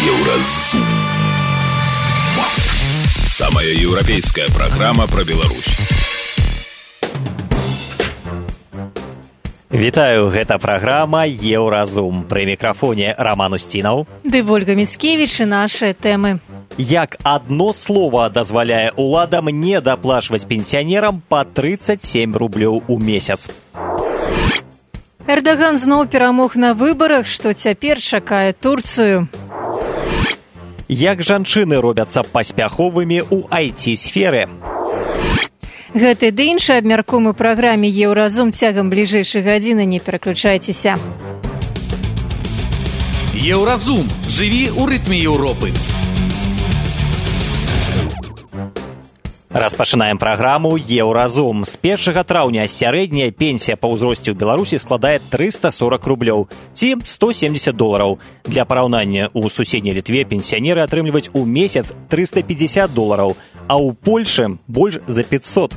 Еўразум. Самая еўрапейская программа про Беларусь. Вітаю, гэта праграма «Еўразум». Пры мікрафоне Роман Устінаў. Ды Вольга Міцкевіч і нашыя тэмы. Як адно слова дазваляе уладам не даплачваць пенсіянерам па 37 рублёў у месяц. Эрдаган зноў перамог на выбарах, што цяпер чакае Турцыю. Як жанчыны робяцца паспяховымі ў IT-сферы. Гэты ды іншы абмяркуем у праграме «Еўразум» цягам бліжэйшай гадзіны. Не пераключайцеся. Еўразум. Жыві ў рытме Еўропы. Распачынаем праграму «Еўразум». З 1 траўня сярэдняя пенсія па ўзросце ў Беларусі складае 340 рублёў, ці $170. Для параўнання, у суседняй Літве пенсіянеры атрымліваюць у месяц $350, а ў Польшы больш за 500.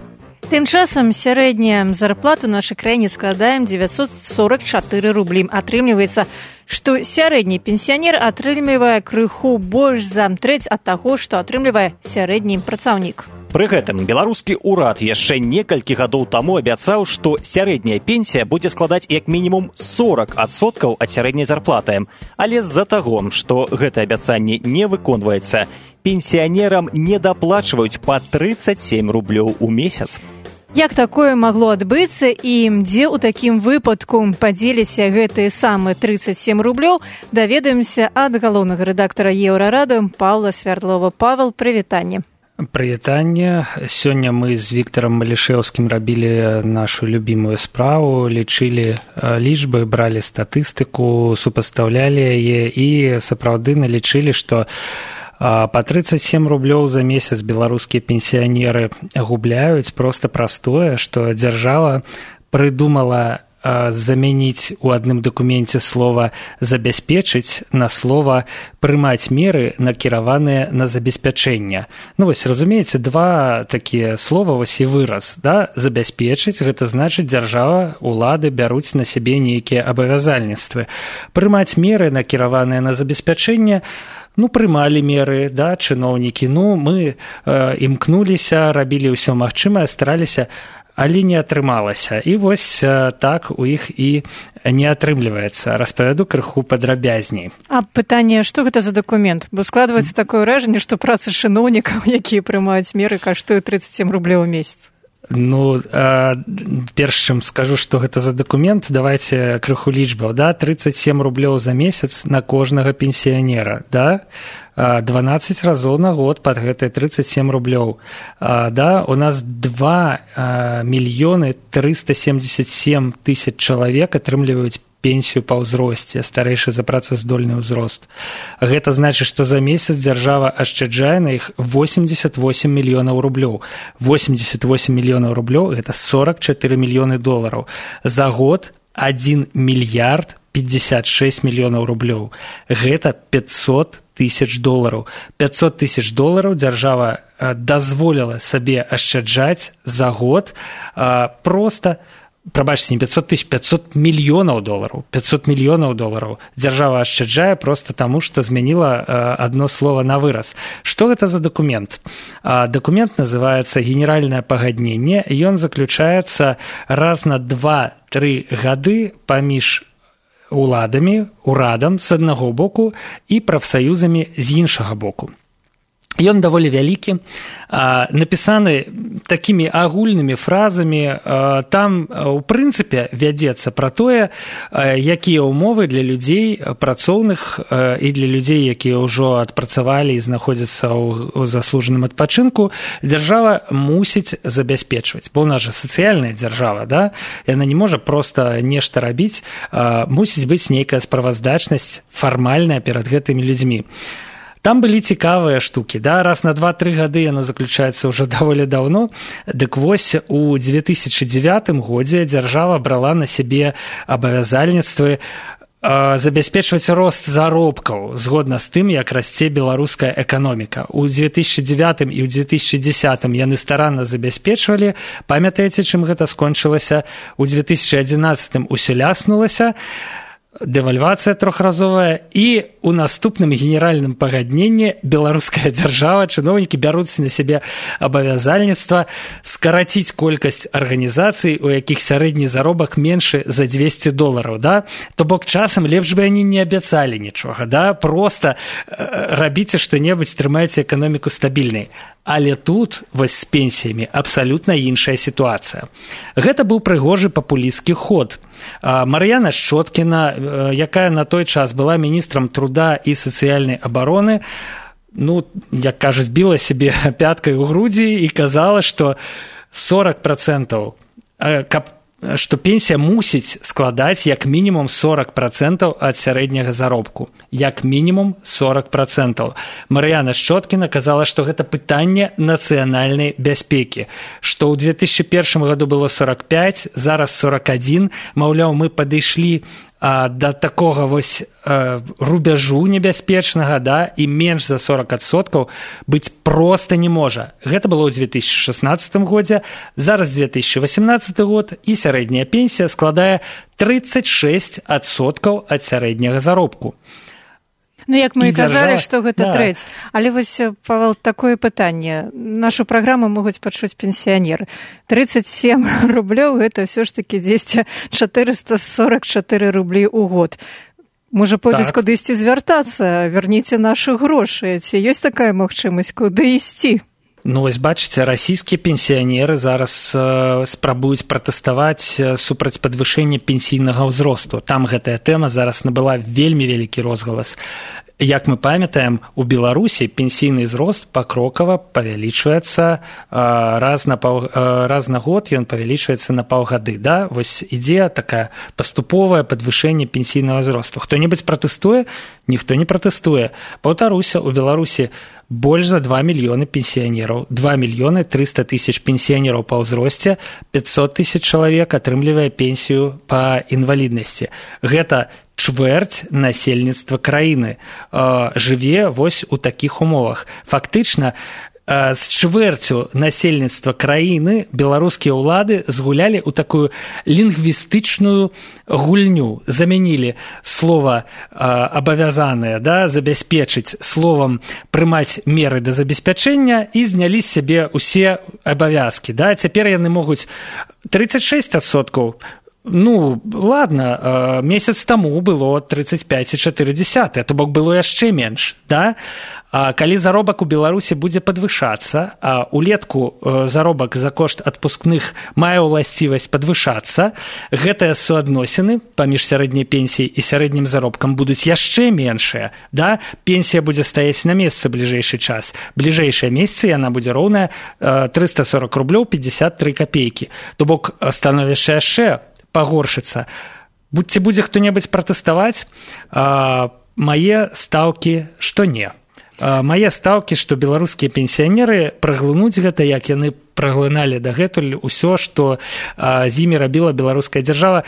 Тым часам сярэдняя зарплата ў нашай краіне складае 944 рублі. Атрымліваецца, што сярэдні пенсіянер атрымлівае крыху больш за трэць ад таго, што атрымлівае сярэдні працаўнік. Пры гэтым беларускі ўрад яшчэ некалькі гадоў таму абяцаў, што сярэдняя пенсія будзе складаць як мінімум 40% ад сярэдняй зарплаты. Але з-за таго, што гэта абяцанне не выконваецца, пенсіянерам не даплачваюць па 37 рублёў у месяц. Як такое магло адбыцца і дзе ў такім выпадку падзеліся гэтыя самыя 37 рублёў, даведаемся ад галоўнага рэдактара Еўрарады Паўла Свярдлова. Павел, прывітанне. Прывітанне. Сёння мы з Віктарам Малішэўскім рабілі нашу любімую справу, лічылі лічбы, бралі статыстыку, супастаўлялі яе і сапраўды налічылі, што па 37 рублёў за месяц беларускія пенсіянеры губляюць проста праз тое, што дзяржава прыдумала замяніць у адным дакуменце слова «забяспечыць» на слова «прымаць меры, накіраваныя на забеспячэнне». Ну вось, разумееце, два такія слова, вось і выраз, да? Забяспечыць, гэта значыць дзяржава, улады бяруць на сябе нейкія абавязальніцтвы. Прымаць меры, накіраваныя на забеспячэнне, прымалі меры, да, чыноўнікі, мы імкнуліся, рабілі ўсё магчымае, стараліся, але не атрымалася. І вось так у іх і не атрымліваецца. Распавяду крыху падрабязней. А пытанне, што гэта за дакумент? Бо складваецца такое ўражанне, што праца чыноўнікаў, якія прымаюць меры, каштуе 37 рублёў у месяц. Перш чым скажу, што гэта за дакумент, давайце крыху лічбаў, да? 37 рублёў за месяц на кожнага пенсіянера, да? 12 разоў на год пад гэтыя 37 рублёў. Да? У нас 2 мільёны 377 тысяч чалавек атрымліваюць пенсію па ўзросце, старэйшы за працаздольны ўзрост. Гэта значыць, што за месяц дзяржава ашчаджае на іх 88 мільёнаў рублёў. 88 мільёнаў рублёў – гэта 44 мільёны долараў. За год 1 мільярд 56 мільёнаў рублёў. Гэта 500 тысяч долараў. 500 тысяч долараў дзяржава дазволіла сабе ашчаджаць за год проста, прабачце, не 500 тысяч, 500 мільёнаў долараў. 500 мільёнаў долараў дзяржава ашчаджае проста таму, што змяніла адно слова на выраз. Што гэта за дакумент? Дакумент называецца «Генеральнае пагадненне». Ён заключаецца раз на 2-3 гады паміж урадам з аднаго боку і прафсаюзамі з іншага боку. Ён даволі вялікі, напісаны такімі агульнымі фразамі. Там, у прынцыпе, вядзецца пра тое, якія ўмовы для людзей працоўных і для людзей, якія ўжо адпрацавалі і знаходзяцца ў заслужаным адпачынку, дзяржава мусіць забяспечваць. Бо ў нас жа сацыяльная дзяржава, да? Яна не можа проста нешта рабіць, мусіць быць нейкая справаздачнасць фармальная перад гэтымі людзьмі. Там былі цікавыя штукі, да? Раз на 2-3 гады яно заключаецца ўжо даволі даўно. Дык вось у 2009 годзе дзяржава брала на сябе абавязальніцтвы забяспечваць рост заробкаў згодна з тым, як расце беларуская эканоміка. У 2009 і ў 2010 яны старанна забяспечвалі. Памятаеце, чым гэта скончылася? У 2011 усё ляснулася. дэвальвацыя трохразовая, і у наступным генеральным пагадненні беларуская дзяржава, чыноўнікі бяруць на сябе абавязальніцтва скараціць колькасць арганізацый, у якіх сярэдні заробак меншы за $200, да? То бок часам лепш бы яны не абяцалі нічога, да? Проста рабіце што-небудзь, трымайце эканоміку стабільнай. Але тут вось з пенсіямі абсалютна іншая сітуацыя. Гэта быў прыгожы папулісцкі ход. Мар'яна Шчоткіна, якая на той час была міністрам труда і сацыяльнай абароны, ну, як кажуць, біла сябе пяткай у грудзі і казала, што 40%, што пенсія мусіць складаць як мінімум 40% ад сярэдняга заробку. Як мінімум 40%. Мар'яна Шчоткіна казала, што гэта пытанне нацыянальнай бяспекі. Што ў 2001 году было 45, зараз 41. Маўляў, мы падышлі да такога вось рубяжу небяспечнага, да, і менш за 40% быць проста не можа. Гэта было ў 2016 годзе, зараз 2018 год, і сярэдняя пенсія складае 36% ад сярэдняга заробку. Ну, як мы і казалі, што гэта трэць. Але вось, Павел, такое пытанне. Нашу праграму могуць пачуць пенсіянеры. 37 рублёў – гэта ўсё ж такі 444 рублі ў год. Можа, пойдуць кудысьці звяртацца, верніце нашы грошы. Ці ёсць такая магчымасць, куды ісці? Ну, вось бачыце, расійскія пенсіянеры зараз спрабуюць пратэставаць супраць падвышэння пенсійнага ўзросту. Там гэтая тэма зараз набыла вельмі вялікі розгалас. Як мы памятаем, у Беларусі пенсійны ўзрост пакрокава павялічваецца раз на год, ён павялічваецца на паўгады. Да? Вось ідзе такая паступовае падвышэнне пенсійнага ўзросту. Хто-небудзь пратэстуе? Ніхто не пратэстуе. Паўтаруся, у Беларусі больш за 2 мільёны пенсіянераў. 2 мільёны 300 тысяч пенсіянераў па ўзросце, 500 тысяч чалавек атрымлівае пенсію па інваліднасці. Гэта чвэрць насельніцтва краіны жыве вось у такіх умовах. Фактычна, з чвэрцю насельніцтва краіны беларускія ўлады згулялі ў такую лінгвістычную гульню. Замянілі слова абавязанае, да, забяспечыць словам прымаць меры да забеспячэння і знялі з сябе ўсе абавязкі. Да. Цяпер яны могуць 36%. Ну, ладно, месяц таму было 35,4, то бок было яшчэ менш, да? Калі заробак у Беларусі будзе падвышацца, а улетку заробак за кошт адпускных мае ўласцівасць падвышацца, гэтыя суадносіны паміж сярэдняй пенсіяй і сярэднім заробкам будуць яшчэ меншыя, да? Пенсія будзе стаяць на месцы бліжэйшы час. Бліжэйшыя месяцы яна будзе роўная 340 рублёў 53 копейкі. То бок становішча яшчэ пагоршыцца. Ці будзе хто-небудзь пратэставаць? Мае стаўкі, што не. Мае стаўкі, што беларускія пенсіянеры праглынуць гэта, як яны праглыналі дагэтуль усё, што з імі рабіла беларуская дзяржава.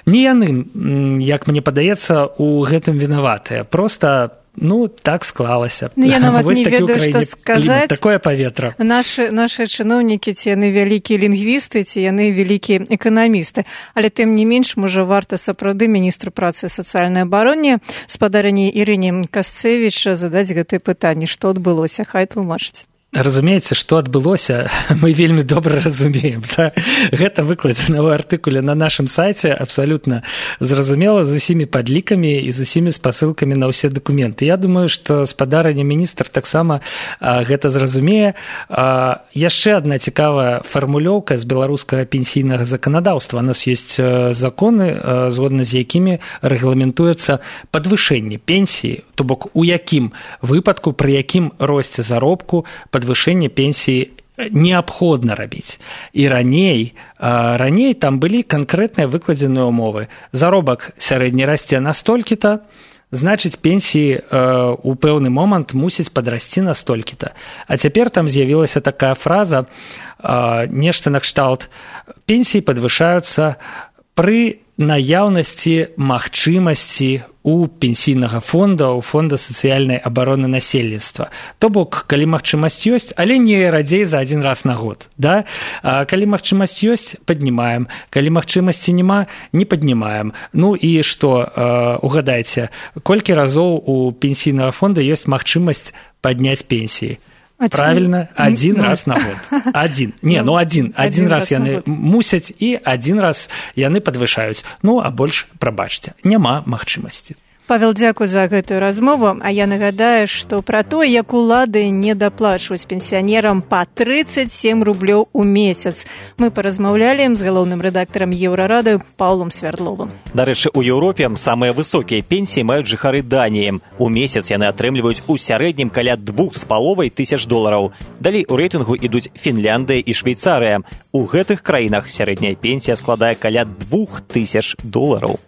Не яны, як мне падаецца, у гэтым вінаватыя. Проста, ну, так склалася. Ну, я нават не ведаю, што сказаць. Такое паветра. Нашы чыноўнікі, ці яны вялікія лінгвісты, ці яны вялікія эканамісты. Але тым не менш, можа, варта сапраўды міністру працы і сацыяльнай абароне спадарыні Ірыне Касцевіч задаць гэтае пытанне, што адбылося. Хай тлумачыць. Разумееце, што адбылося, мы вельмі добра разумеем. Да? Гэта выкладзена ў артыкуле на нашым сайце, абсалютна зразумела, з усімі падлікамі і з усімі спасылкамі на ўсе дакументы. Я думаю, што спадарыня міністр таксама гэта зразумее. Яшчэ адна цікавая фармулёўка з беларускага пенсійнага заканадаўства. У нас ёсць законы, згодна з якімі рэгламентуецца падвышэнне пенсіі, то бок у якім выпадку, пры якім росце заробку падвышэнне пенсіі неабходна рабіць. І раней там былі канкрэтныя выкладзеныя ўмовы. Заробак сярэдні расце настолькі-то, значыць, пенсіі ў пэўны момант мусіць падрасці настолькі-то. А цяпер там з'явілася такая фраза, нешта накшталт: пенсіі падвышаюцца пры наяўнасці магчымасці у пенсійнага фонда, у фонда сацыяльнай абароны насельніцтва. То бок, калі магчымасць ёсць, але не радзей за адзін раз на год. Да? Калі магчымасць ёсць, паднімаем. Калі магчымасці няма, не паднімаем. Ну і што, угадайце, колькі разоў у пенсійнага фонда ёсць магчымасць падняць пенсіі? Правильно, один раз на год. Один раз яны мусяць і один раз яны падвышаюць. Ну, а больш, прабачце, няма магчымасці. Павел, дзякуй за гэтую размову. А я нагадаю, што пра то, як улады не даплачваюць пенсіянерам па 37 рублёў у месяц. Мы паразмаўлялі з галоўным рэдактарам Еўрарады Паўлом Свярдловым. Дарэчы, у Еўропе самыя высокія пенсіі маюць жыхары Даніі. У месяц яны атрымліваюць у сярэднім каля $2,500. Далей у рэйтынгу ідуць Фінляндыя і Швейцарыя. У гэтых краінах сярэдняя пенсія складае каля $2,000.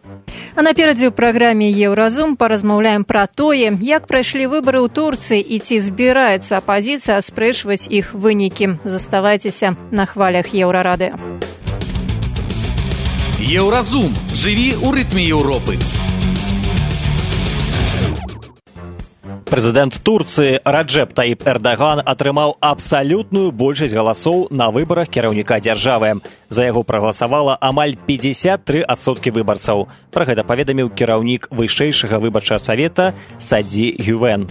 А наперадзе ў праграме «Еўразум» паразмаўляем пра тое, як прайшлі выбары ў Турцыі і ці збіраецца апазіцыя аспрэчваць іх вынікі. Заставайцеся на хвалях Еўрарадыё. Еўразум. Жыві ў рытме Еўропы. Прэзідэнт Турцыі Раджэп Таіп Эрдаган атрымаў абсалютную большасць галасоў на выбарах кіраўніка дзяржавы. За яго прагаласавала амаль 53% выбарцаў. Пра гэта паведаміў кіраўнік вышэйшага выбарчага савета Саді Гювен.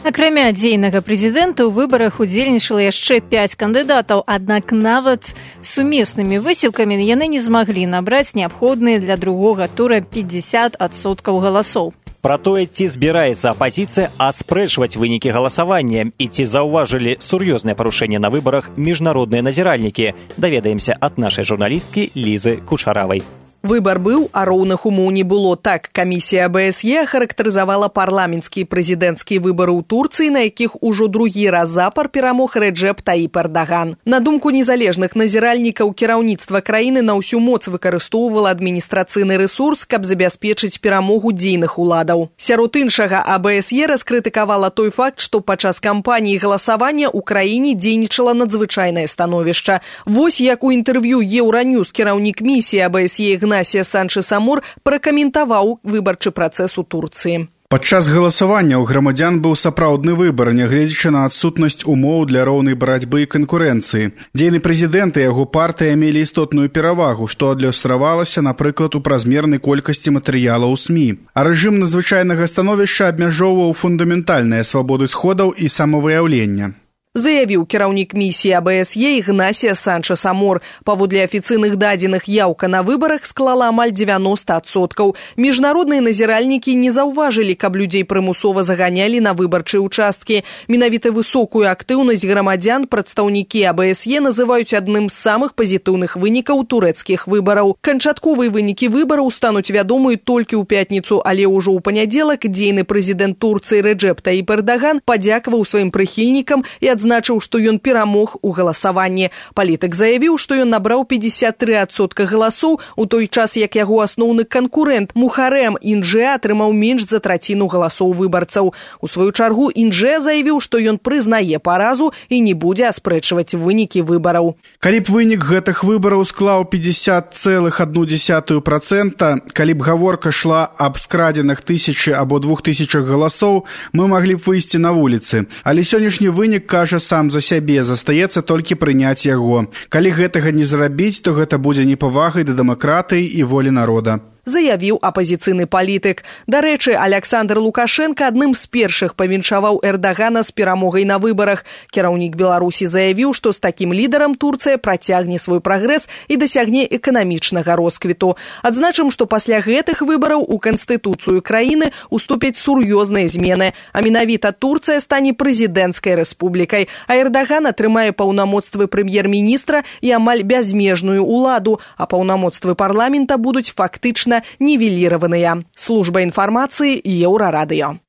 Акрамя дзейнага прэзідэнта ў выбарах удзельнічала яшчэ 5 кандыдатаў, аднак нават сумеснымі высілкамі яны не змаглі набраць неабходныя для другога тура 50% галасоў. Пра тое, ці збіраецца апазіцыя аспрэчваць вынікі галасавання і ці заўважылі сур'ёзныя парушэнні на выбарах міжнародныя назіральнікі, даведаемся ад нашай журналісткі Лізы Кушаравай. Выбар быў, а роўных умоў не было. Так, камісія АБСЕ характарызавала парламенцкія і прэзідэнцкія выбары ў Турцыі, на якіх ужо другі раз запар перамог Раджэп Таіп Эрдаган. На думку незалежных назіральнікаў, кіраўніцтва краіны на ўсю моц выкарыстоўвала адміністрацыйны рэсурс, каб забяспечыць перамогу дзейных уладаў. Сярод іншага, АБСЕ раскрытыкавала той факт, што падчас кампаніі галасавання ў краіне дзейнічала надзвычайнае становішча. Вось як у інтэрв'ю Еўраньюз кіраўнік місіі АБСЕ Игнасия Санчес-Амор пракаментаваў выбарчы працэс у Турцыі. Падчас галасавання ў грамадзян быў сапраўдны выбар, нягледзячы на адсутнасць умоў для роўнай барацьбы і канкурэнцыі. Дзейны прэзідэнт і яго партыя мелі істотную перавагу, што адлюстравалася, напрыклад, у празмернай колькасці матэрыялаў у СМІ. А рэжым надзвычайнага становішча абмяжоўваў фундаментальныя свабоды сходаў і самавыяўлення. Заявіў кіраўнік місіі АБСЕ Игнасия Санчес-Амор. Паводле афіцыйных дадзеных, яўка на выбарах склала амаль 90%. Міжнародныя назіральнікі не заўважылі, каб людзей прымусова заганялі на выбарчыя участкі. Менавіта высокую актыўнасць грамадзян прадстаўнікі АБСЕ называюць адным з самых пазітыўных вынікаў турэцкіх выбараў. Канчатковыя вынікі выбараў стануць вядомыя толькі ў пятніцу, але ўжо ў панядзелак дзейны прэзідэнт Турцыі Раджэп Таіп Эрдаган падзякаваў сваім прыхільнікам і адзначыў, што ён перамог у галасаванні. Палітык заявіў, што ён набраў 53% галасоў, у той час як яго асноўны канкурэнт Мухарэм Индже атрымаў менш за траціну галасоў выбарцаў. У сваю чаргу Индже заявіў, што ён прызнае паразу і не будзе аспрэчваць вынікі выбараў. Калі б вынік гэтых выбараў склаў 50,1%, калі б гаворка шла аб скрадзеных 1000 або 2000 галасоў, мы маглі б выйсці на вуліцы. Але сённяшні вынік кажа сам за сябе, застаецца толькі прыняць яго. Калі гэтага не зрабіць, то гэта будзе непавагай да дэмакратыі і волі народа. Заявіў апазіцыйны палітык. Дарэчы, Александр Лукашенко адным з першых павіншаваў Эрдагана з перамогай на выбарах. Кіраўнік Беларусі заявіў, што з такім лідарам Турцыя працягне свой прагрэс і дасягне эканамічнага росквіту. Адзначым, што пасля гэтых выбараў у канстытуцыю краіны уступяць сур'ёзныя змены, а менавіта Турцыя стане прэзідэнцкай рэспублікай, а Эрдаган атрымае паўнамоцтвы прэм'ер-міністра і амаль бязмежную ўладу, а паўнамоцтвы парламента будуць фактычна нівеліраваныя. Служба інфармацыі Еўрарадыё.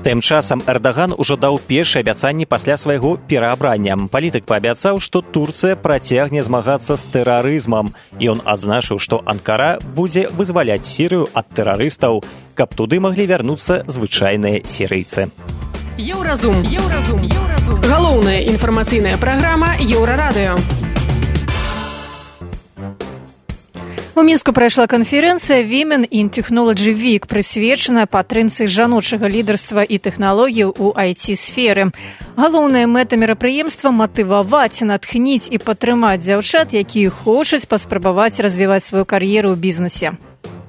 Тым часам Эрдаган ужо даў першыя абяцанні пасля свайго пераабрання. Палітык паабяцаў, што Турцыя працягне змагацца з тэрарызмам. Ён адзначыў, што Анкара будзе вызваляць Сірыю ад тэрарыстаў, каб туды маглі вярнуцца звычайныя сірыйцы. Еўразум. Галоўная інфармацыйная праграма Еўрарадыё. У Мінску прайшла канферэнцыя Women in Technology Week, прысвечаная падтрымцы жаночага лідарства і тэхналогій у IT-сферы. Галоўная мэта мерапрыемства – матываваць, натхніць і падтрымаць дзяўчат, якія хочуць паспрабаваць развіваць сваю кар'еру ў бізнесе.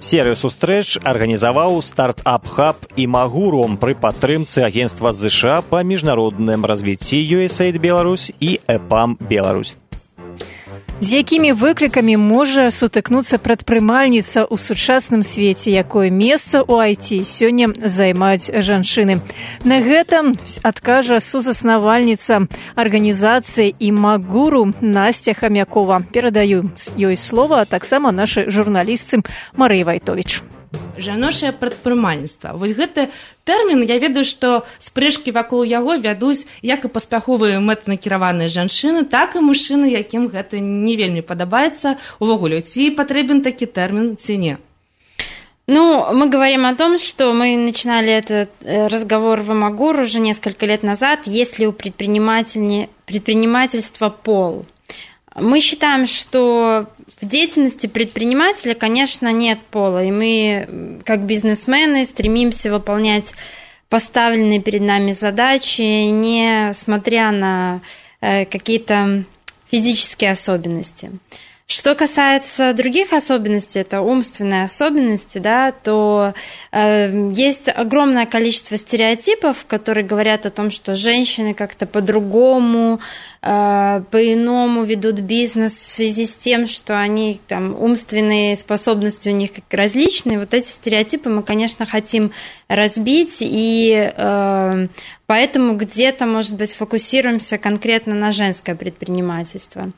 Серыю сустрэч арганізаваў стартап-хаб Імагуру пры падтрымцы агенцтва ЗША па міжнародным развіцці USAID Беларусь і ЭПАМ Беларусь. З якімі выклікамі можа сутыкнуцца прадпрымальніца ў сучасным свеце, якое месца ў IT сёння займаюць жанчыны? На гэта адкажа сузаснавальніца арганізацыі Імагуру Насця Хамякова. Перадаю ёй слова, а таксама нашай журналістцы Марыі Вайтовіч. Жаночае прадпрымальніцтва. Вось гэты тэрмін, я ведаю, што спрэчкі вакол яго вядуць як і паспяховыя мэтанакіраваныя жанчыны, так і мужчыны, якім гэта не вельмі падабаецца. Увогуле, ці патрэбен такі тэрмін, ці не? Ну, мы говорим о том, что мы начинали этот разговор в Імагуру уже несколько лет назад, есть ли у предпринимательства пол. Мы считаем, что в деятельности предпринимателя, конечно, нет пола, и мы, как бизнесмены, стремимся выполнять поставленные перед нами задачи, не смотря на какие-то физические особенности. Что касается других особенностей, это умственные особенности, да, то есть огромное количество стереотипов, которые говорят о том, что женщины как-то по-другому, по-иному ведут бизнес в связи с тем, что они там умственные способности у них как различные. Вот эти стереотипы мы, конечно, хотим разбить, и поэтому где-то, может быть, фокусируемся конкретно на женское предпринимательство.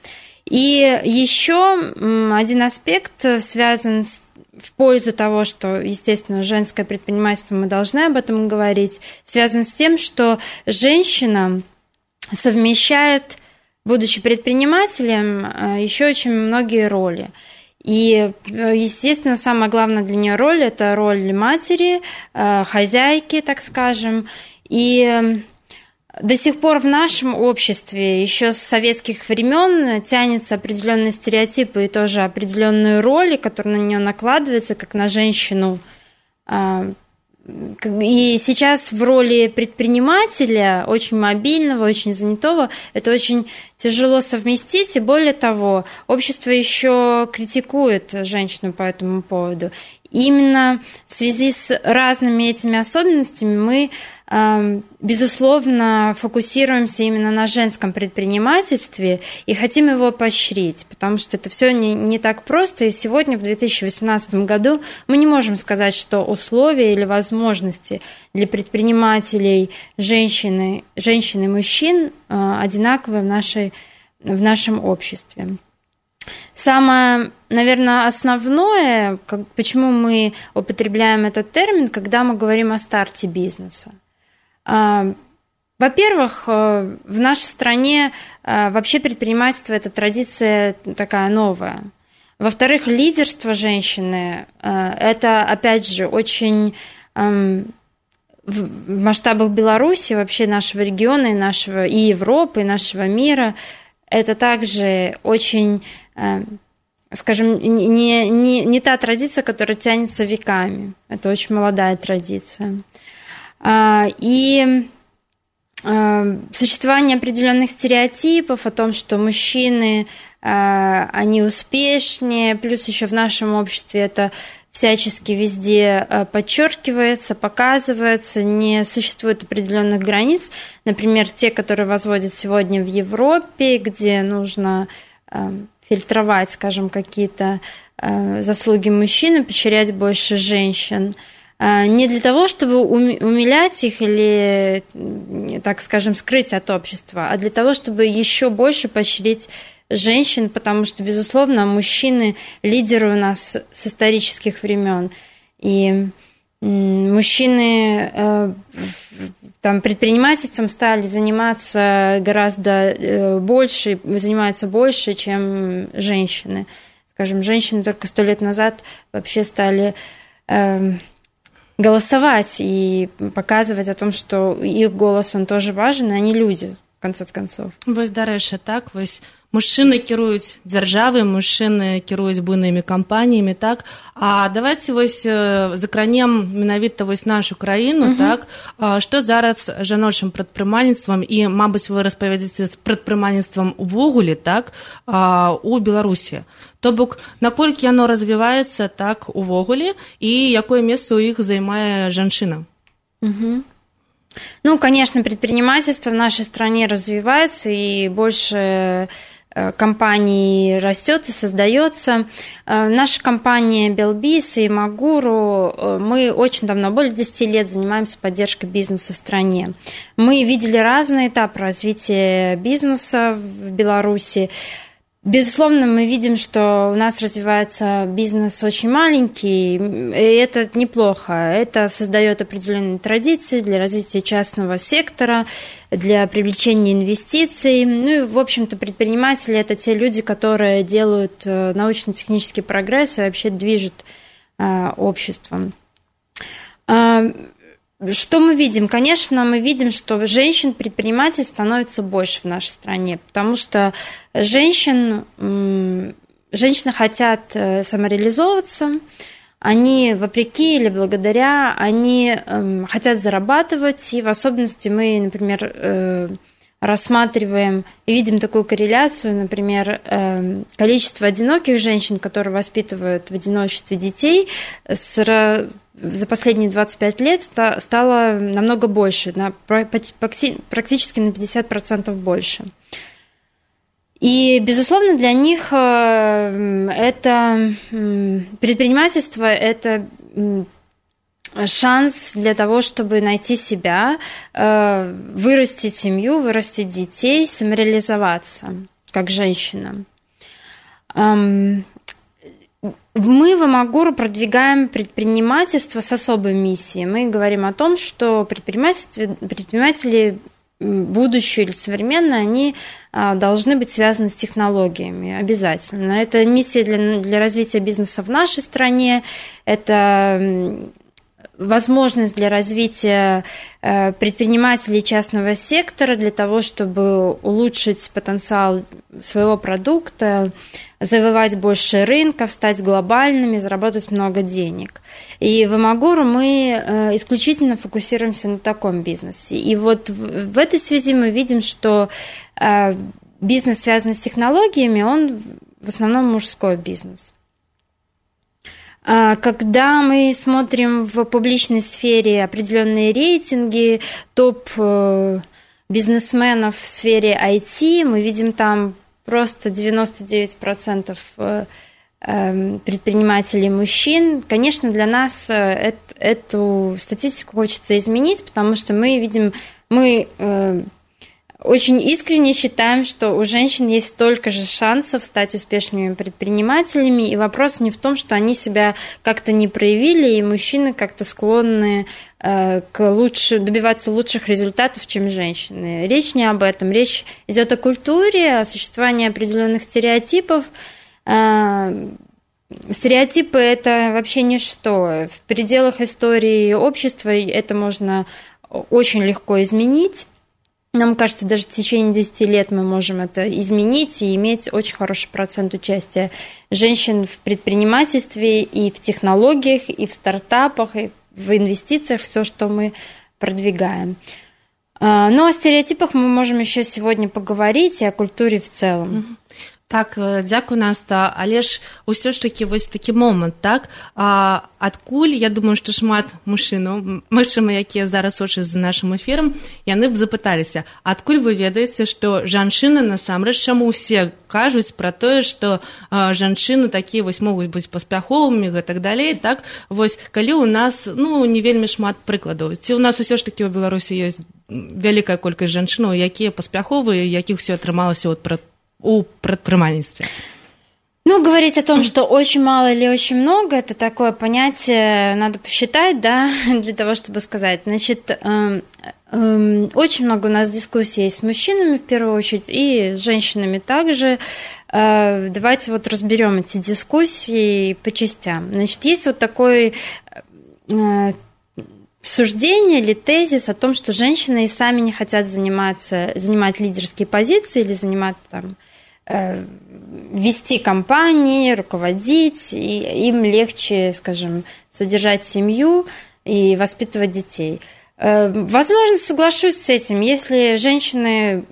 И еще один аспект связан в пользу того, что, естественно, женское предпринимательство, мы должны об этом говорить, связан с тем, что женщина совмещает, будучи предпринимателем, еще очень многие роли. И, естественно, самая главная для нее роль – это роль матери, хозяйки, так скажем. И до сих пор в нашем обществе еще с советских времен тянется определенные стереотипы и тоже определенные роли, которые на нее накладываются, как на женщину. И сейчас в роли предпринимателя, очень мобильного, очень занятого, это очень тяжело совместить. И более того, общество еще критикует женщину по этому поводу. И именно в связи с разными этими особенностями мы, безусловно, фокусируемся именно на женском предпринимательстве и хотим его поощрить, потому что это все не так просто. И сегодня, в 2018 году, мы не можем сказать, что условия или возможности для предпринимателей женщин и мужчин одинаковые в нашем обществе. Самое, наверное, основное, почему мы употребляем этот термин, когда мы говорим о старте бизнеса. Во-первых, в нашей стране вообще предпринимательство – это традиция такая новая. Во-вторых, лидерство женщины – это, опять же, очень в масштабах Беларуси, вообще нашего региона, и Европы, и нашего мира – это также очень, скажем, не та традиция, которая тянется веками. Это очень молодая традиция. И существование определенных стереотипов о том, что мужчины, они успешнее, плюс еще в нашем обществе это всячески везде подчеркивается, показывается, не существует определенных границ. Например, те, которые возводят сегодня в Европе, где нужно фильтровать, скажем, какие-то заслуги мужчин, поощрять больше женщин. Не для того, чтобы умилять их или, так скажем, скрыть от общества, а для того, чтобы еще больше поощрить женщин, потому что, безусловно, мужчины лидеры у нас с исторических времен. И мужчины там, предпринимательством стали заниматься гораздо больше, занимаются больше, чем женщины. Скажем, женщины только 100 лет назад вообще стали голосовать и показывать о том, что их голос, он тоже важен, и они люди. в конце концов. Вось, дарэчы, так, вось мужчыны кіруюць дзяржавай, мужчыны кіруюць буйнымі кампаніямі, так, а давайте вось закранем менавіта вось нашу краіну, так, што зараз жаночым прадпрымальніцтвам і, мабыць, вы распавядзеце з прадпрымальніцтвам увогуле, так, у Беларусі. То бок, наколькі яно развіваецца, так, увогуле, і якое месца ў іх займае жанчына? Ну, конечно, предпринимательство в нашей стране развивается, и больше компаний растет и создается. Наша компания Белбис и Магуру, мы очень давно, более 10 лет занимаемся поддержкой бизнеса в стране. Мы видели разные этапы развития бизнеса в Беларуси. Безусловно, мы видим, что у нас развивается бизнес очень маленький, и это неплохо. Это создает определенные традиции для развития частного сектора, для привлечения инвестиций. Ну и, в общем-то, предприниматели – это те люди, которые делают научно-технический прогресс и вообще движут обществом. Что мы видим? Конечно, мы видим, что женщин-предпринимателей становится больше в нашей стране, потому что женщины хотят самореализовываться, они вопреки или благодаря, они хотят зарабатывать, и в особенности мы, например, рассматриваем и видим такую корреляцию, например, количество одиноких женщин, которые воспитывают в одиночестве детей, за последние 25 лет стало намного больше, практически на 50% больше. И, безусловно, для них это предпринимательство – это шанс для того, чтобы найти себя, вырастить семью, вырастить детей, самореализоваться как женщина. Мы в Амагуру продвигаем предпринимательство с особой миссией. Мы говорим о том, что предприниматели будущие или современные, они должны быть связаны с технологиями обязательно. Это миссия для развития бизнеса в нашей стране, это возможность для развития предпринимателей частного сектора для того, чтобы улучшить потенциал своего продукта, завоевать больше рынков, стать глобальными, заработать много денег. И в Амагуру мы исключительно фокусируемся на таком бизнесе. И вот в этой связи мы видим, что бизнес, связанный с технологиями, он в основном мужской бизнес. Когда мы смотрим в публичной сфере определенные рейтинги топ-бизнесменов в сфере IT, мы видим там просто 99% предпринимателей мужчин. Конечно, для нас эту статистику хочется изменить, потому что мы очень искренне считаем, что у женщин есть столько же шансов стать успешными предпринимателями, и вопрос не в том, что они себя как-то не проявили, и мужчины как-то склонны добиваться лучших результатов, чем женщины. Речь не об этом, речь идет о культуре, о существовании определенных стереотипов. Стереотипы – это вообще ничто. В пределах истории общества это можно очень легко изменить. Нам кажется, даже в течение 10 лет мы можем это изменить и иметь очень хороший процент участия женщин в предпринимательстве и в технологиях, и в стартапах, и в инвестициях, все, что мы продвигаем. Но о стереотипах мы можем еще сегодня поговорить, и о культуре в целом. Так, дзякуй, Наста, але ж усё ж такі вось такі момант, так? Адкуль, я думаю, што шмат мужчынаў, якія зараз сочаць за нашым эфірам, яны б запыталіся, адкуль вы ведаеце, што жанчыны насамрэч, чаму ўсе кажуць пра тое, што жанчыны такія вось могуць быць паспяховымі і так далей, так? Вось, калі ў нас, не вельмі шмат прыкладаў. Ці ў нас усё ж такі ў Беларусі ёсць вялікая колькасць жанчынаў, якія паспяховыя, якіх усё атрымалася у предпринимательстве? Говорить о том, что очень мало или очень много, это такое понятие, надо посчитать, да, для того, чтобы сказать. Значит, очень много у нас дискуссий с мужчинами, в первую очередь, и с женщинами также. Давайте разберем эти дискуссии по частям. Значит, есть такой суждение или тезис о том, что женщины и сами не хотят занимать лидерские позиции или занимать там, вести компании, руководить, и им легче, скажем, содержать семью и воспитывать детей. Возможно, соглашусь с этим, если женщины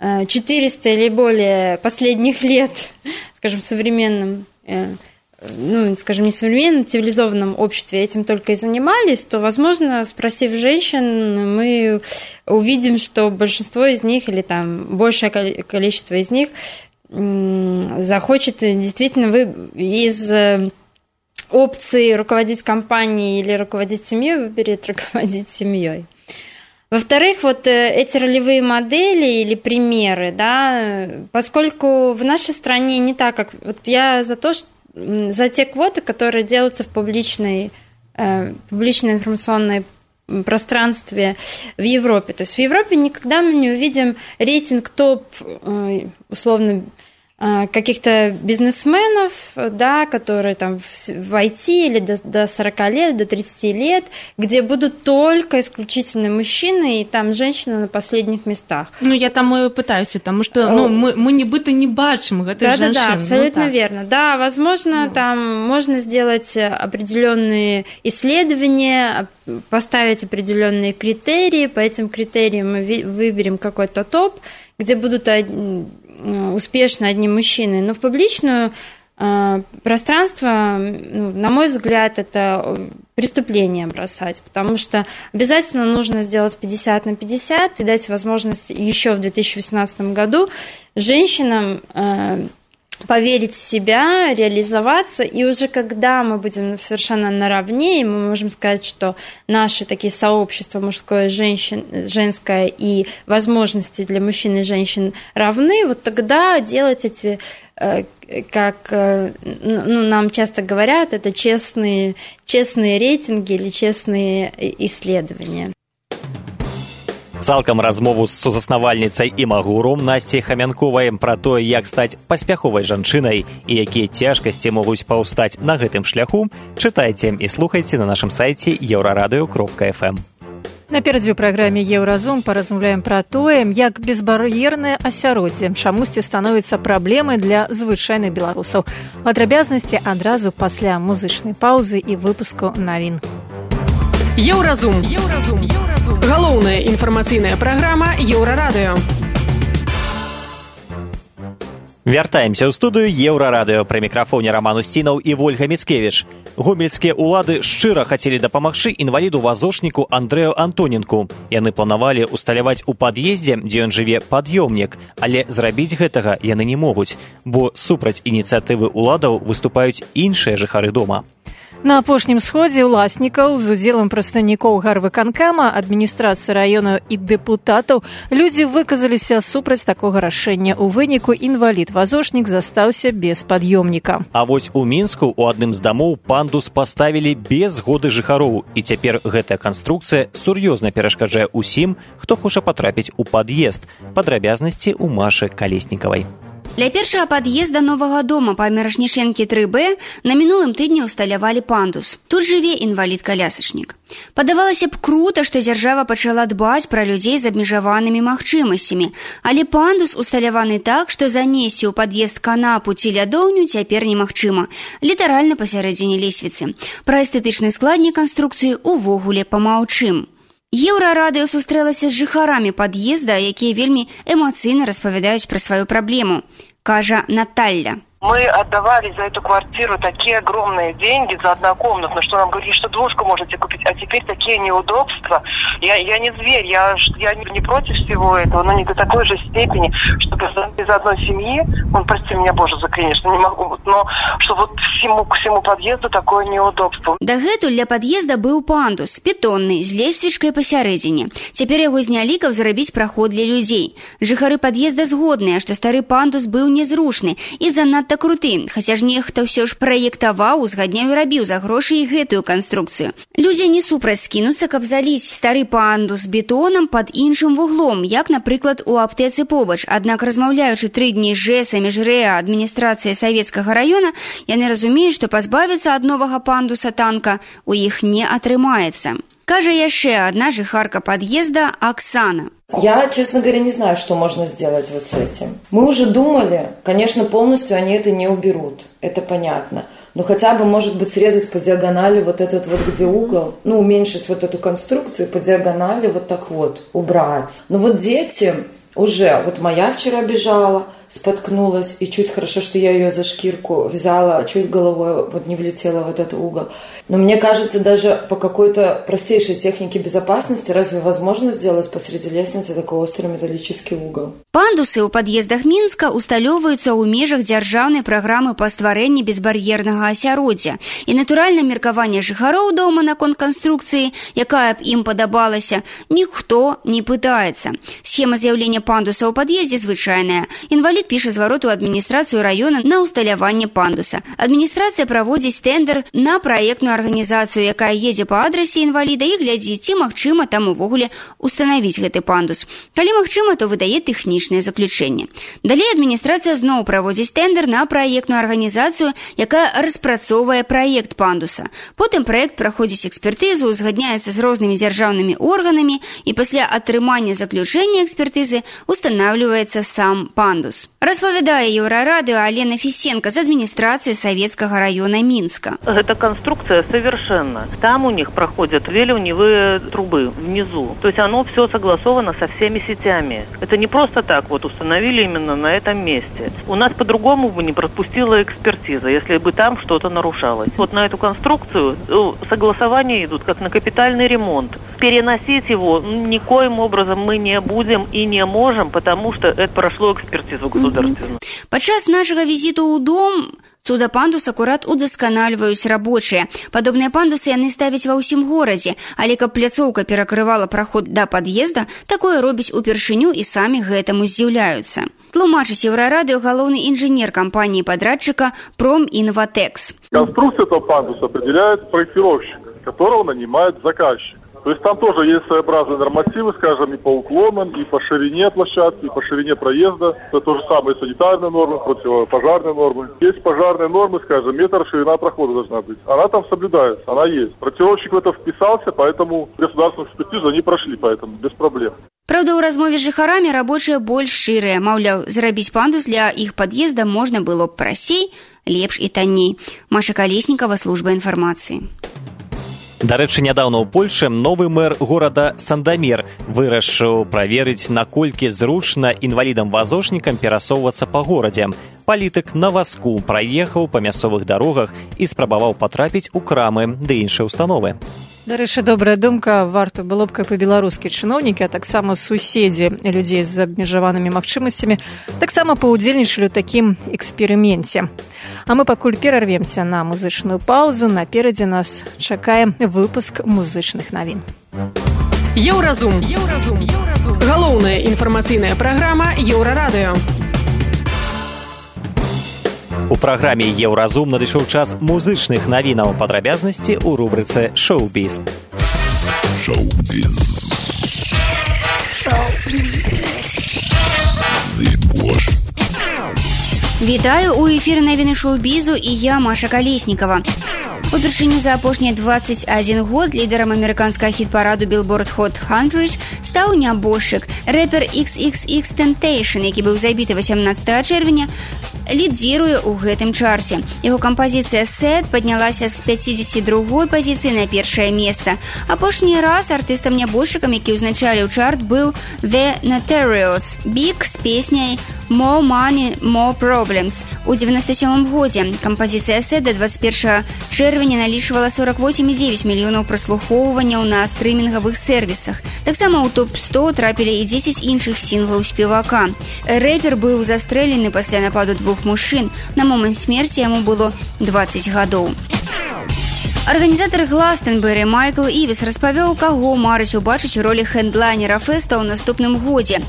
400 или более последних лет, скажем, в современном, ну, скажем, не современном, цивилизованном обществе этим только и занимались, то, возможно, спросив женщин, мы увидим, что большинство из них или там большее количество из них захочет действительно из опции руководить компанией или руководить семьей, выберет руководить семьей. Во-вторых, вот эти ролевые модели или примеры, да, поскольку в нашей стране не так, как... Вот я за те квоты, которые делаются в публичной информационной пространстве в Европе. То есть в Европе никогда мы не увидим рейтинг топ, условно, каких-то бизнесменов, да, которые там в IT или до 40 лет, до 30 лет, где будут только исключительно мужчины, и там женщины на последних местах. Ну, я там и пытаюсь, потому что мы нібыта не бачим гэтых женщин. Да, абсолютно верно. Да, возможно, там можно сделать определенные исследования, поставить определенные критерии, по этим критериям мы выберем какой-то топ, где будут успешно одни мужчины. Но в публичное пространство, на мой взгляд, это преступление бросать, потому что обязательно нужно сделать 50 на 50 и дать возможность еще в 2018 году женщинам поверить в себя, реализоваться, и уже когда мы будем совершенно наравне, и мы можем сказать, что наши такие сообщества мужское, женское и возможности для мужчин и женщин равны, вот тогда делать эти, как нам часто говорят, это честные рейтинги или честные исследования. Цалкам размову з сузаснавальніцай і магуром Насцяй Хамянковай пра тое, як стаць паспяховай жанчынай і якія цяжкасці могуць паўстаць на гэтым шляху, чытайце і слухайце на нашым сайце еўрарадыё.фм. Наперадзе ў праграме «Еўразум» паразмаўляем пра тое, як безбар'ернае асяроддзе чамусьці становіцца праблемай для звычайных беларусаў. Падрабязнасці адразу пасля музычнай паўзы і выпуску навін. Еўразум. Галоўная інфармацыйная праграма Еўрарадыё. Вяртаемся ў студыю Еўрарадыё. Пры мікрафоне Роман Устінаў і Вольга Міцкевіч. Гомельскія ўлады шчыра хацелі дапамагчы інваліду-вазочніку Андрэю Антоненку. Яны планавалі усталяваць у пад'ездзе, дзе ён жыве, пад'ёмнік, але зрабіць гэтага яны не могуць, бо супраць ініцыятывы ўладаў выступаюць іншыя жыхары дома. На апошнім сходзе ўласнікаў з удзелам прадстаўнікоў гарвыканкама, адміністрацыі раёнаў і дэпутатаў людзі выказаліся супраць такога рашэння. У выніку інвалід-вазочнік застаўся без пад'ёмніка. А вось у Мінску ў адным з дамоў пандус паставілі без згоды жыхароў, і цяпер гэтая канструкцыя сур'ёзна перашкаджае ўсім, хто хоча патрапіць у пад'езд. Падрабязнасці ў Машы Калеснікавай. Для першага пад'езда новага дома па Мірошнічэнкі 3Б на мінулым тыдні ўсталявалі пандус. Тут жыве інвалід-калясачнік. Падавалася б крута, што дзяржава пачала дбаць пра людзей з абмежаванымі магчымасцямі, але пандус усталяваны так, што занесці ў пад'езд канапу ці лядоўню цяпер немагчыма, літаральна пасярэдзіне лесвіцы. Пра эстэтычны складнік канструкцыі увогуле памаўчым. Еўрарадыё сустрэлася з жыхарамі пад'езда, якія вельмі эмацыйна распавядаюць пра сваю праблему, кажа Наталья. Мы отдавали за эту квартиру такие огромные деньги за однокомнатную, что нам говорили, что двушку можете купить, а теперь такие неудобства. Я не зверь, я не против всего этого, но не до такой же степени, чтобы из одной семьи, прости меня, Боже, за, конечно, не могу, но что вот к всему подъезду такое неудобство. Дагэтуль для пад'езда быў пандус, бетонны, з лесвічкай пасярэдзіне. Цяпер яго знялі, каб зрабіць праход для людзей. Жыхары пад'езда згодныя, што стары пандус быў незручны і занадта круты, хаця ж нехта ўсё ж праектаваў, узгадняў і рабіў за грошы і гэтую канструкцыю. Людзі не супраць скінуцца, каб заліць стары пандус бетонам пад іншым вуглом, як, напрыклад, у аптэцы побач. Аднак, размаўляючы 3 дні з ЖЭСа, міжрэа, адміністрацыі савецкага раёна, яны разумеюць, што пазбавіцца ад новага пандуса танка у іх не атрымаецца. кажа яшчэ одна жыхарка подъезда Оксана. Я, честно говоря, не знаю, что можно сделать вот с этим. Мы уже думали, конечно, полностью они это не уберут, это понятно. Но хотя бы, может быть, срезать по диагонали вот этот вот, где угол, уменьшить вот эту конструкцию, по диагонали вот так вот убрать. Но вот дети уже, вот моя вчера бежала, споткнулась, и чуть хорошо, что я ее за шкирку взяла, чуть головой вот не влетела в этот угол. Но мне кажется, даже по какой-то простейшей технике безопасности разве возможно сделать посреди лестницы такой острый металлический угол? Пандусы ў пад'ездах Мінска усталёўваюцца ў межах дзяржаўнай праграмы па стварэнні безбар'ернага асяроддзя. І натуральна меркаванне жыхароў дома наконт канструкцыі, якая б ім падабалася, ніхто не пытаецца. Схема з'яўлення пандуса ў пад'ездзе звычайная. Інвалід піша зварот у адміністрацыю раёна на ўсталяванне пандуса. Адміністрацыя праводзіць тендер на праектную арганізацыю, якая едзе па адрасе інваліда і глядзіць, ці магчыма там увогуле устанавіць гэты пандус. Калі магчыма, то выдае тэхнічнае заключэнне. Далей адміністрацыя зноў праводзіць тендер на праектную арганізацыю, якая распрацоўвае праект пандуса. Потым праект праходзіць экспертызу, узгадняецца з рознымі дзяржаўнымі органамі і пасля атрымання заключэння экспертызы устанавліваецца сам пандус. Распавядае Еўрарадыё Алена Фісенка з адміністрацыі Савецкага раёна Мінска. Эта конструкция совершенно. Там у них проходят две ливневые трубы внизу. То есть оно все согласовано со всеми сетями. Это не просто так вот установили именно на этом месте. У нас по-другому бы не пропустила экспертиза, если бы там что-то нарушалось. Вот на эту конструкцию согласования идут как на капитальный ремонт. Переносить его никоим образом мы не будем и не можем, потому что это прошло экспертизу государственную. Падчас нашага візіту ў дом цуда пандус акурат удасканальваюць рабочыя. Падобныя пандусы яны ставяць ва ўсім горадзе, але каб пляцоўка перакрывала праход да пад'езда, такое робіць упершыню і самі гэтаму здзіўляюцца. Тлумачыць Еўрарадыё галоўны інжынер кампаніі-падрадчыка Проминватекс. Конструкцию этого пандуса определяет проектировщик, которого нанимает заказчик. То есть там тоже есть своеобразные нормативы, скажем, и по уклонам, и по ширине площадки, и по ширине проезда. Это то же самое санитарные нормы, противопожарные нормы. Есть пожарные нормы, скажем, метр ширина прохода должна быть. Она там соблюдается, она есть. Проектировщик в это вписался, поэтому государственную экспертизу они прошли, поэтому без проблем. Праўда, ў размове з жыхарамі рабочыя больш шчырыя. Маўляў, зрабіць пандус для іх пад'езда можна было б прасцей, лепш і танней. Маша Калеснікава, служба інфармацыі. Дарэчы, нядаўна ў Польшы новы мэр горада Сандамер вырашыў праверыць, наколькі зручна інвалідам-вазочнікам перасоўвацца па горадзе. Палітык на вазку праехаў па мясцовых дарогах і спрабаваў патрапіць у крамы ды іншыя установы. Дарэчы, добрая думка. Варта было б, каб і беларускія чыноўнікі, а таксама суседзі людзей з абмежаванымі магчымасцямі таксама паўдзельнічалі ў такім эксперыменце. А мы пакуль перарвемся на музычную паузу. Наперадзе нас чакае выпуск музычных навін. Еўразум. Галоўная інфармацыйная праграма Еўрарадыё. У праграме «Еўразум» надышоў час музычных навінаў, падрабязнасці ў рубрыцы «Шоу-біз». Вітаю, у эфіры навіны шоу-бізу і я, Маша Калеснікава. Упершыню за апошнія 21 год лідарам амерыканскага хіт-параду Billboard Hot 100 стаў нябожчык, рэпер XXXTentacion, які быў забіты 18 чэрвеня, лідзіруе ў гэтым чарце. Яго кампазіцыя «Sad» паднялася з 52-й пазіцыі на першае месца. Апошні раз артыстам-нябожчыкам, які ўзначаліў чарт, быў The Notorious Big з песняй «More Money, More Problems». У 97-м годзе кампазіцыя «Sad» да 21 чэрвеня налічвала 48,9 мільёнаў праслухоўванняў на стрымінгавых сервісах. Таксама ў топ-100 трапілі і 10 іншых сінглаў спевака. Рэпер быў застрэлены пасля нападу двух мужчын. На момант смерці яму было 20 гадоў. Арганізатар Гластенбері Майкл Івіс распавёў, каго марыць убачыць у ролі хендлайнера фэста ў наступным годзе.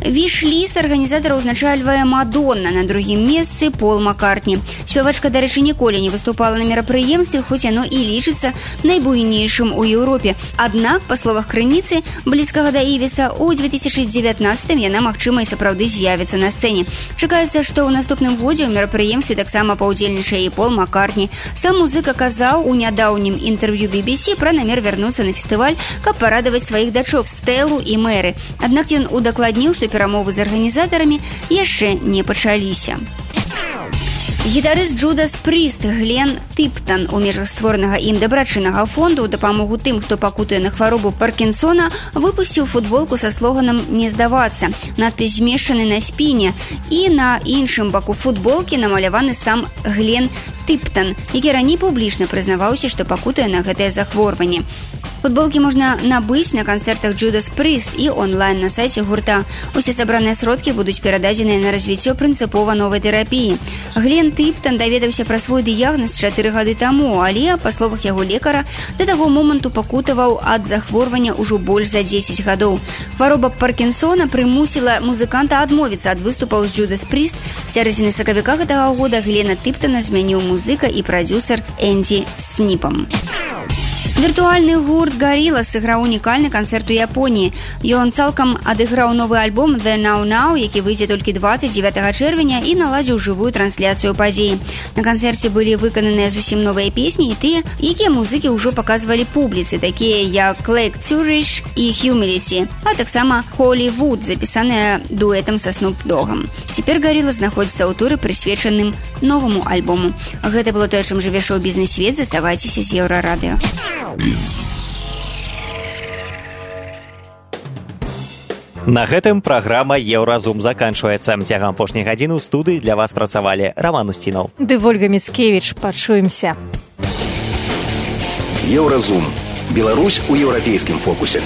Віш-ліст арганізатара ўзначальвае Мадонна, на другім месцы Пол Маккартні. Спявачка, дарэчы, ніколі не выступала на мерапрыемстве, хоць яно і лічыцца найбуйнейшым у Еўропе. Аднак, па словах крыніцы, блізкага да Івіса, у 2019-м яна, магчыма, і сапраўды з'явіцца на сцэне. Чакаецца, што ў наступным годзе ў мерапрыемстве таксама паўдзельнічае і Пол Маккартні. Сам музыка казаў у нядаўнім інтэрв'ю BBC пра намер вярнуцца на фестываль, каб парадаваць сваіх дачок Стэлу і Мэры. Аднак ён удакладніў, што перамовы з арганізатарамі яшчэ не пачаліся. Гітарыст Джудас Пріст Глен Тыптан у межах створанага ім дабрачыннага фонду ў дапамогу тым, хто пакутуе на хваробу Паркінсона, выпусціў футболку са слоганам «Не здавацца». Надпіс змешчаны на спіне, і на іншым баку футболкі намаляваны сам Глен Тыптан, які раней публічна прызнаваўся, што пакутуе на гэтае захворванне. Футболкі можна набыць на канцэртах Judas Priest і онлайн на сайце гурта. Усе сабраныя сродкі будуць перададзеныя на развіццё прынцыпова новай тэрапіі. Глен Тыптан даведаўся пра свой дыягназ 4 гады таму, але, па словах яго лекара, да таго моманту пакутаваў ад захворвання ўжо больш за 10 гадоў. Хвароба Паркінсона прымусіла музыканта адмовіцца ад выступаў з Judas Priest. З сярэдзіны сакавіка гэтага года Глена Тыптана змяніў музыка і прадзюсар Энді Сніпам. Віртуальны гурт Gorillaz сыграў унікальны канцэрт у Японіі. Ён цалкам адыграў новы альбом The Now Now, які выйдзе толькі 29 чэрвеня, і наладзіў жывую трансляцыю падзеі. На канцэрце былі выкананыя зусім новыя песні і тыя, якія музыкі ўжо паказвалі публіцы, такія як Lake Zurich і Humility, а таксама Hollywood, запісаная дуэтам са Snoop Dogg'ом. Цяпер Gorillaz знаходзіцца ў туры, прысвечаным новаму альбому. Гэта было тое, чым жыве шоу-бізнес-свет. Заставайцеся з Еўрарадыё. На гэтым праграма «Еўразум» заканчваецца. Цягам апошняй гадзіны ў студыі для вас працавалі Раман Усцінаў ды Вольга Міцкевіч. Пачуемся. Еўразум. Беларусь у еўрапейскім фокусе.